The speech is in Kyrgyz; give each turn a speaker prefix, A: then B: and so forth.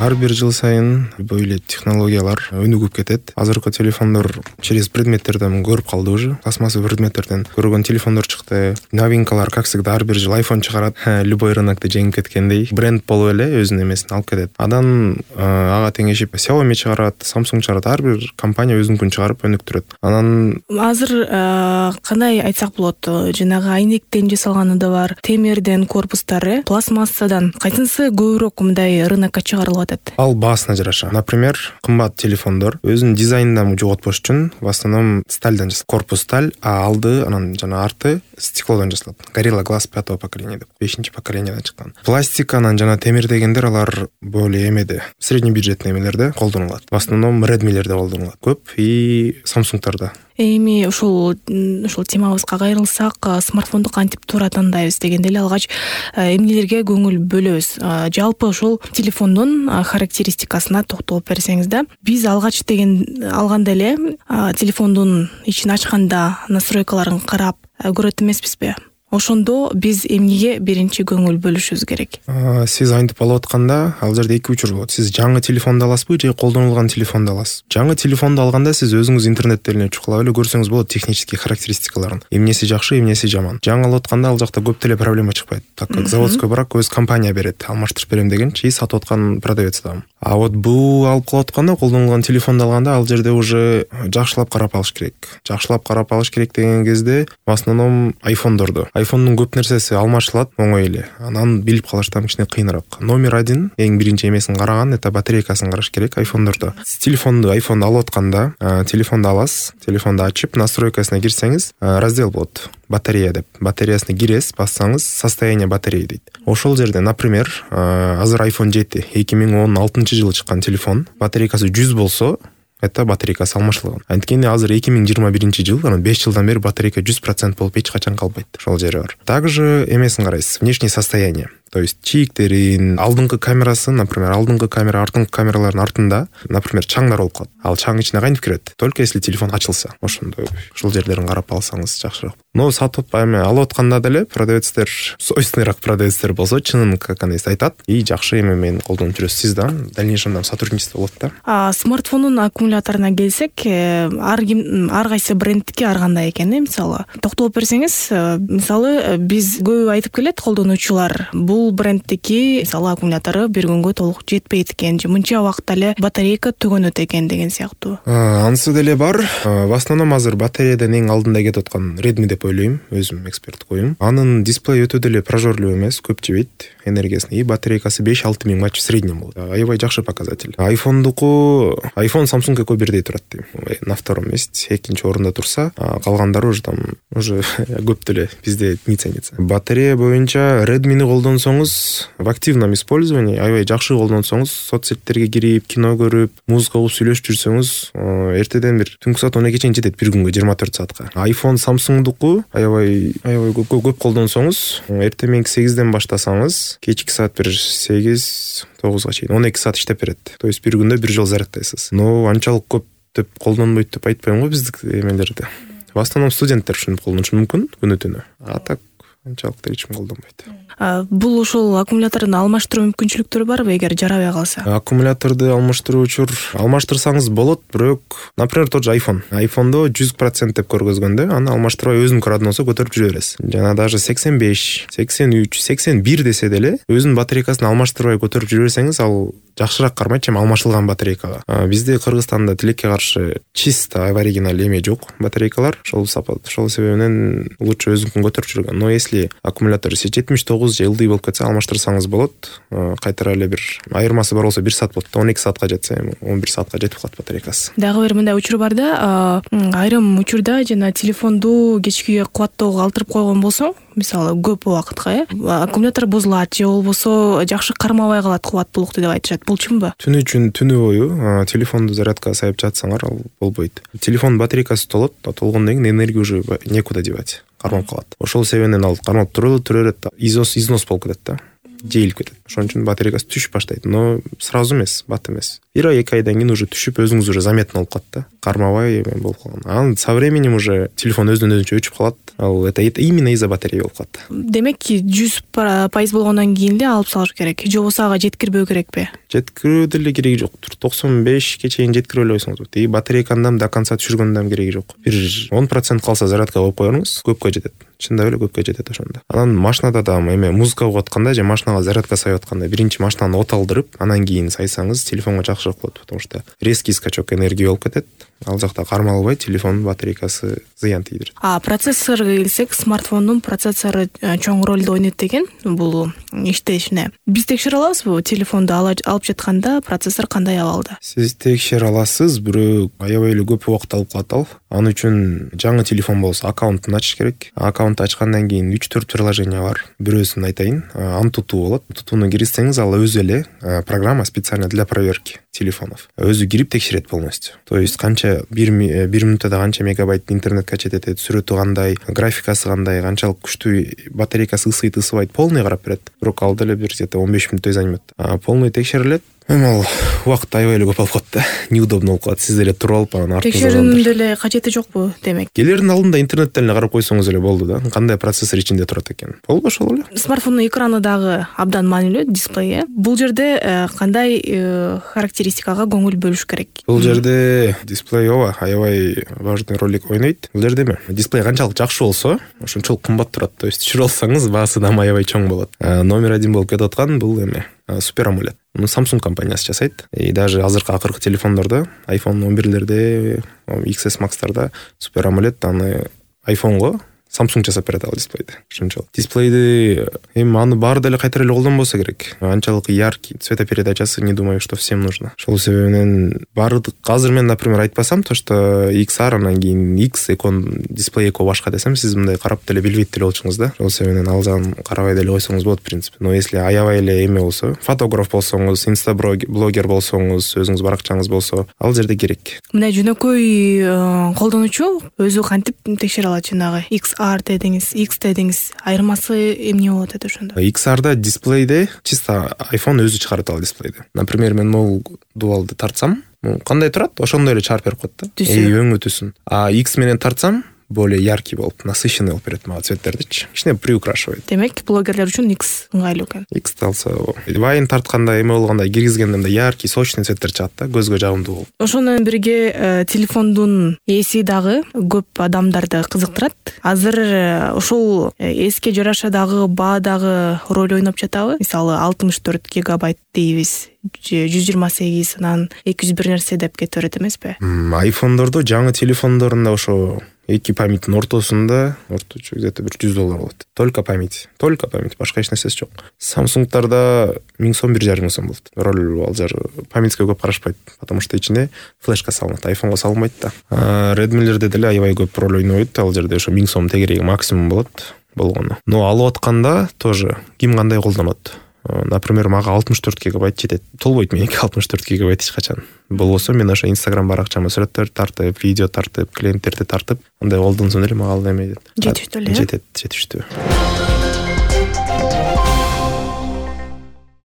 A: ар бир жыл сайын любой эле технологиялар өнүгүп кетет. Азыркы телефондор через предметтерден көрүп калды уже. Пластмассовый предметтерден көргөн телефондор чыкты. Новинкалар, как всегда, ар бир жыл iPhone чыгарат. Любой рынокто жеңип кеткендей бренд болуп эле өзүнүн эмесин алып кетет. Анан ага теңешип Xiaomi чыгарат, Samsung чыгарат. Ар бир компания өзүнүкүн чыгарып өнүктүрөт. Анан
B: азыр кандай айтсак болот? Жанагы айнектен жасалганы да бар, темирден корпустары, пластмассадан кайсынысы көбүрөөк мындай рынокко чыгарылып атат?
A: Ал баасына жараша. Например, кымбат телефондор өзүнүн дизайнынан жоготпош үчүн в основном стальдан жасалат. Корпус сталь, а алды анан жана арты стеклодон жасалат. Gorilla Glass 5-го поколения деп, 5-чи поколенияден чыккан. Пластик анан жана темир дегендер алар более эмеде, средний бюджетный эмелерде колдонулат. В основном Redmi'лерде колдонулат көп и Samsung'тарда.
B: Эми ушул темабызга кайрылсак, смартфонду кантип туура тандайбыз дегенде эле алгач эмнелерге көңүл бөлөбүз? Жалпы ушул телефондун характеристикасына токтолуп берсеңиз да. Биз алгач алганда эле телефондун ичин ачканда настройкаларын карап көрөт эмеспизби? Ошондо биз эмнеге биринчи көңүл бөлүшүбүз керек?
A: Сиз айтып алып атканда, ал жерде эки учур болот. Сиз жаңы телефонду аласызбы же колдонулган телефонду аласыз? Жаңы телефонду алганда сиз өзүңүз интернеттен эле чукулап эле көрсөңүз болот технический характеристикаларын. Эмнеси жакшы, эмнеси жаман. Жаңы алып атканда ал жакта көп деле проблема чыкпайт. Так как заводской брак өз компания берет, алмаштырып берем дегенчи сатып аткан продавец да. А вот бул алып калып атканда, колдонулган телефонду алганда ал жерде уже жакшылап карап алыш керек. Жакшылап карап алыш керек деген кезде в основном айфондорду. Айфондун көп нерсеси алмашылат оңой эле. Анан билип калыш там кичине кыйыныраак. Номер 1 эң биринчи эмесин караган, это батарейкасын караш керек айфондордо. Телефонду алып атканда, телефонду аласыз, телефонду ачып, настройкасына кирсеңиз, раздел болот. Батарея деп. Батареясына киресиз, бассаңыз, состояние батареи дейт. Ошол жерде, например, азыр iPhone 7 2016-жылы чыккан телефон, батарейкасы 100 болсо, это батарейкасы алмашылган. Анткени азыр 2021-жыл, анан 5 жылдан бери батарейка 100% болуп эч качан калбайт. Ошол жери бар. Также эмесин карайсыз, внешнее состояние. То есть чийиктерин, алдыңкы камерасын, например, алдыңкы камера, артыңкы камералардын артында, например, чаңдар болуп калат. Ал чаң ичине кантип кирет? Только если телефон ачылса. Ошондой ушул жерлерин карап алсаңыз жакшыраак. Но сатып алып атканда деле продавецтер, совестныйраак продавецтер болсо, чынын как анайсы айтат и жакшы эме менен колдонуп жүрөсүз. Сиз да дальнейшем сотрудничество болот да.
B: Смартфондун аккумуляторуна келсек, ар кайсы брендтики ар кандай экен, мисалы. Токтолуп берсеңиз, мисалы биз көп айтып келет колдонуучулар, бул брендтики мисалы аккумулятору бир күнгө толук жетпейт экен, же мынча убакытта эле батарейка төгөнөт экен деген сыяктуу.
A: Анысы деле бар. В основном азыр батареядан эң алдында кетип аткан Redmi деп ойлойм, өзүм эксперттик оюм. Анын дисплеи өтө деле прожорлуу эмес, көп жебейт энергиясын и батарейкасы 5-6 миң матч в среднем болот. Аябай жакшы показатель. iPhone Samsung'га көб бирдей турат дейм. На втором месте, экинчи орунда турса, калгандары уже көп деле бизде не ценится. Батарея боюнча Redmi'ни колдонсоңуз, в активном использовании, аябай жакшы колдонсоңуз, соцсеттерге кирип, кино көрүп, музыка угуп сүйлөшүп жүрсөңүз, эртеден бир түнкү саат 12 чейин жетет бир күнгө 24 саатка. iPhone Samsung'дуку аябай көп колдонсоңуз, эртең мененки 8ден баштасаңыз, кечки саат бир 8-9га чейин 12 саат иштеп берет. То есть бир күндө бир жол заряддайсыз. Но анчалык көп деп колдонбойт деп айтпайм го биздик эмелерде. В основном студенттер ушинтип колдонушу мүмкүн күнү-түнү. А так анчалык эч ким колдонбойт.
B: Бул ушул аккумуляторун алмаштыруу мүмкүнчүлүктөрү барбы эгер жарабай калса?
A: Аккумуляторду алмаштырсаңыз болот, бирок, например, тот же айфондо 100% деп көргөзгөндө, аны алмаштырбай өзүнүн родноосу көтөрүп жүрө бересиз. Жана даже 85, 83, 81 десе деле өзүнүн батарейкасын алмаштырбай көтөрүп жүрө берсеңиз, ал жакшыраак кармайт, чем алмашылган батарейкага. Бизде Кыргызстанда тилекке каршы чисто оригинал эме жок батарейкалар. Ошол себебинен лучше өзүнүн көтөрүп жүргөн. Но если аккумулятор 79 же ылдый болуп кетсе, алмаштырсаңыз болот. Кайтара эле бир айырмасы бар болсо 1 саат болот. 12 саатка жетсе, 11 саатка жетип калат батарейкасы.
B: Дагы бир мындай учур бар да, айрым учурда жана телефонду кечки кубаттоого калтырып койгон болсоң, мисалы көп убакытка, аккумулятор бузулат же болбосо жакшы кармабай калат кубаттуулукту деп айтышат. Бул чынбы?
A: Түнү бою телефонду зарядкага сайып жатсаңар, ал болбойт. Телефон батарейкасы толот, толгондон кийин энергия уже некуда девать. Кармап калат. Ошол себебинен ал кармап турат, износ болуп кетет да. Жейилип кетет. Ошон үчүн батарейкасы түшүп баштайт, но сразу эмес, бат эмес. 1 ай 2 айдан кийин уже түшүп өзүңүз уже заметно болуп калат да, кармабай эме болуп калган. Анан со временем уже телефон өзүнөн өзүнчө өчүп калат. Ал это именно из-за батарея болуп калат.
B: Демек 100% болгондон кийин эле алып салыш керек, же болбосо ага жеткирбөө керекпи?
A: Жеткирүү деле кереги жоктур. 95ке чейин жеткире албайсыңыз. Тиги батарейканы до конца түшүргөндөн кереги жок. Бир 10% калса зарядка коюп коюңуз, көпкө жетет. Чындап эле көпкө жетет ошондо. Анан машинада да эме музыка угуп атканда же машинага зарядка сайып атканда биринчи машинаны от алдырып, анан кийин сайсаңыз телефонго жакшыраак болот, потому что резкий скачок энергии болуп кетет. Ал жакта кармалбай телефондун батарейкасы зыян тийдирет.
B: Процессорго келсек, смартфондун процессору чоң ролду ойнойт деген бул иштешине. Биз текшере алабызбы телефонду алып жатканда процессор кандай абалда?
A: Сиз текшере аласыз, бирок аябай эле көп убакыт алып калат ал. Аны үчүн жаңы телефон болсо аккаунтун ачыш керек. Аккаунт ачкандан кийин 3-4 приложение бар. Бирөөсүн айтайын, Antutu болот. Antutuну кирсеңиз ал өзү эле программа специально для проверки телефонов. Өзү кирип текшерет полностью. То есть канча бир минутада канча мегабайт интернет качет этет, сүрөтү кандай, графикасы кандай, канчалык күчтүү батарейкасы ысыйт полный карап берет. Бирок ал деле бир 15 мүнөттөй займет. Полный текшерилет. Эми ал убакыт аябай эле көп алып калат да. Неудобно болуп калат. Сиз деле туруп алып анан
B: текшерүүнүн деле кажети жокпу демек?
A: Келердин алдында интернеттен эле карап койсоңуз эле болду да. Кандай процессор ичинде турат экен. Болду ошол эле.
B: Смартфондун экраны дагы абдан маанилүү, дисплейи. Бул жерде кандай характеристикага көңүл бөлүш керек?
A: Бул жерде дисплей аябай важный роль ойнойт. Бул жерде дисплей канчалык жакшы болсо, ошончолук кымбат турат. То есть түшүрө алсаңыз баасы да аябай чоң болот. Номер 1 болуп кетип аткан бул Супер AMOLED. Samsung компаниясы жасайт. И даже акыркы телефондордо, iPhone 11лерде, XS Max'тарда Супер AMOLED аны iPhone'го Samsung жасап берет ал дисплейди. Ошончол. Дисплейди аны баары деле кайтара эле колдонбосо керек. Анчалык яркий, цветопередачасы не думаю, что всем нужно. Ошол себебинен баардык азыр мен, например, айтпасам, то что XR анан кийин X экон дисплей эко башка десем, сиз мындай карап деле билбейт деле болчуңуз да. Ошол себебинен ал жагын карабай деле койсоңуз болот, в принципе. Но если аябай эле эме болсо, фотограф болсоңуз, инстаблогер болсоңуз, өзүңүз баракчаңыз болсо, ал жерде керек.
B: Мына жөнөкөй колдонуучу өзү кантип текшере алат жанагы XR дедиңиз, X дедиңиз, айырмасы эмне болот эти ошондо?
A: XR'да дисплейде чисто iPhone өзү чыгарат ал дисплейди. Например, мен могул дуалды тартсам, кандай турат, ошондой эле чыгарып берип коет да. Өңү түсүн. А X менен тартсам, более яркий болуп, насыщенный болуп берет мага цветтердичи. Кичине приукрашивает.
B: Демек, блогерлер үчүн X ыңгайлуу экен.
A: X алса, вайн тартканда эме болгондо киргизгенде яркий, сочный цветтер чыгат да, көзгө жагымдуу болуп.
B: Ошону менен бирге телефондун эси дагы көп адамдарды кызыктырат. Азыр ошол эске жараша дагы баа дагы роль ойноп жатабы? Мисалы 64 гигабайт дейбиз, 128, анан 201 нерсе деп кете берет эмеспи?
A: iPhone'дордо, жаңы телефондорунда ошо эки памяттин ортосунда орточо где-то $100 болот. Только память, башка эч нерсеси жок. Samsung'дарда 1000 сом, 1500 сом болот. Роль ал жер памятьке көп карашпайт, потому что ичине флешка салынат, iPhone'го салынбайт да. Redmi'лерде деле аябай көп роль ойнойт, ал жерде ошо 1000 сом тегереги максимум болот болгону. Но алып атканда тоже ким кандай колдонот. Например, мага 64 гигабайт жетет. Толбойт меники 64 гигабайт эч качан. Болбосо мен ошо Instagram баракчама сүрөттөр тартып, видео тартып, клиенттерди тартып, андай колдонсом эле мага ал эме
B: жетиштүү эле.
A: Жетиштүү.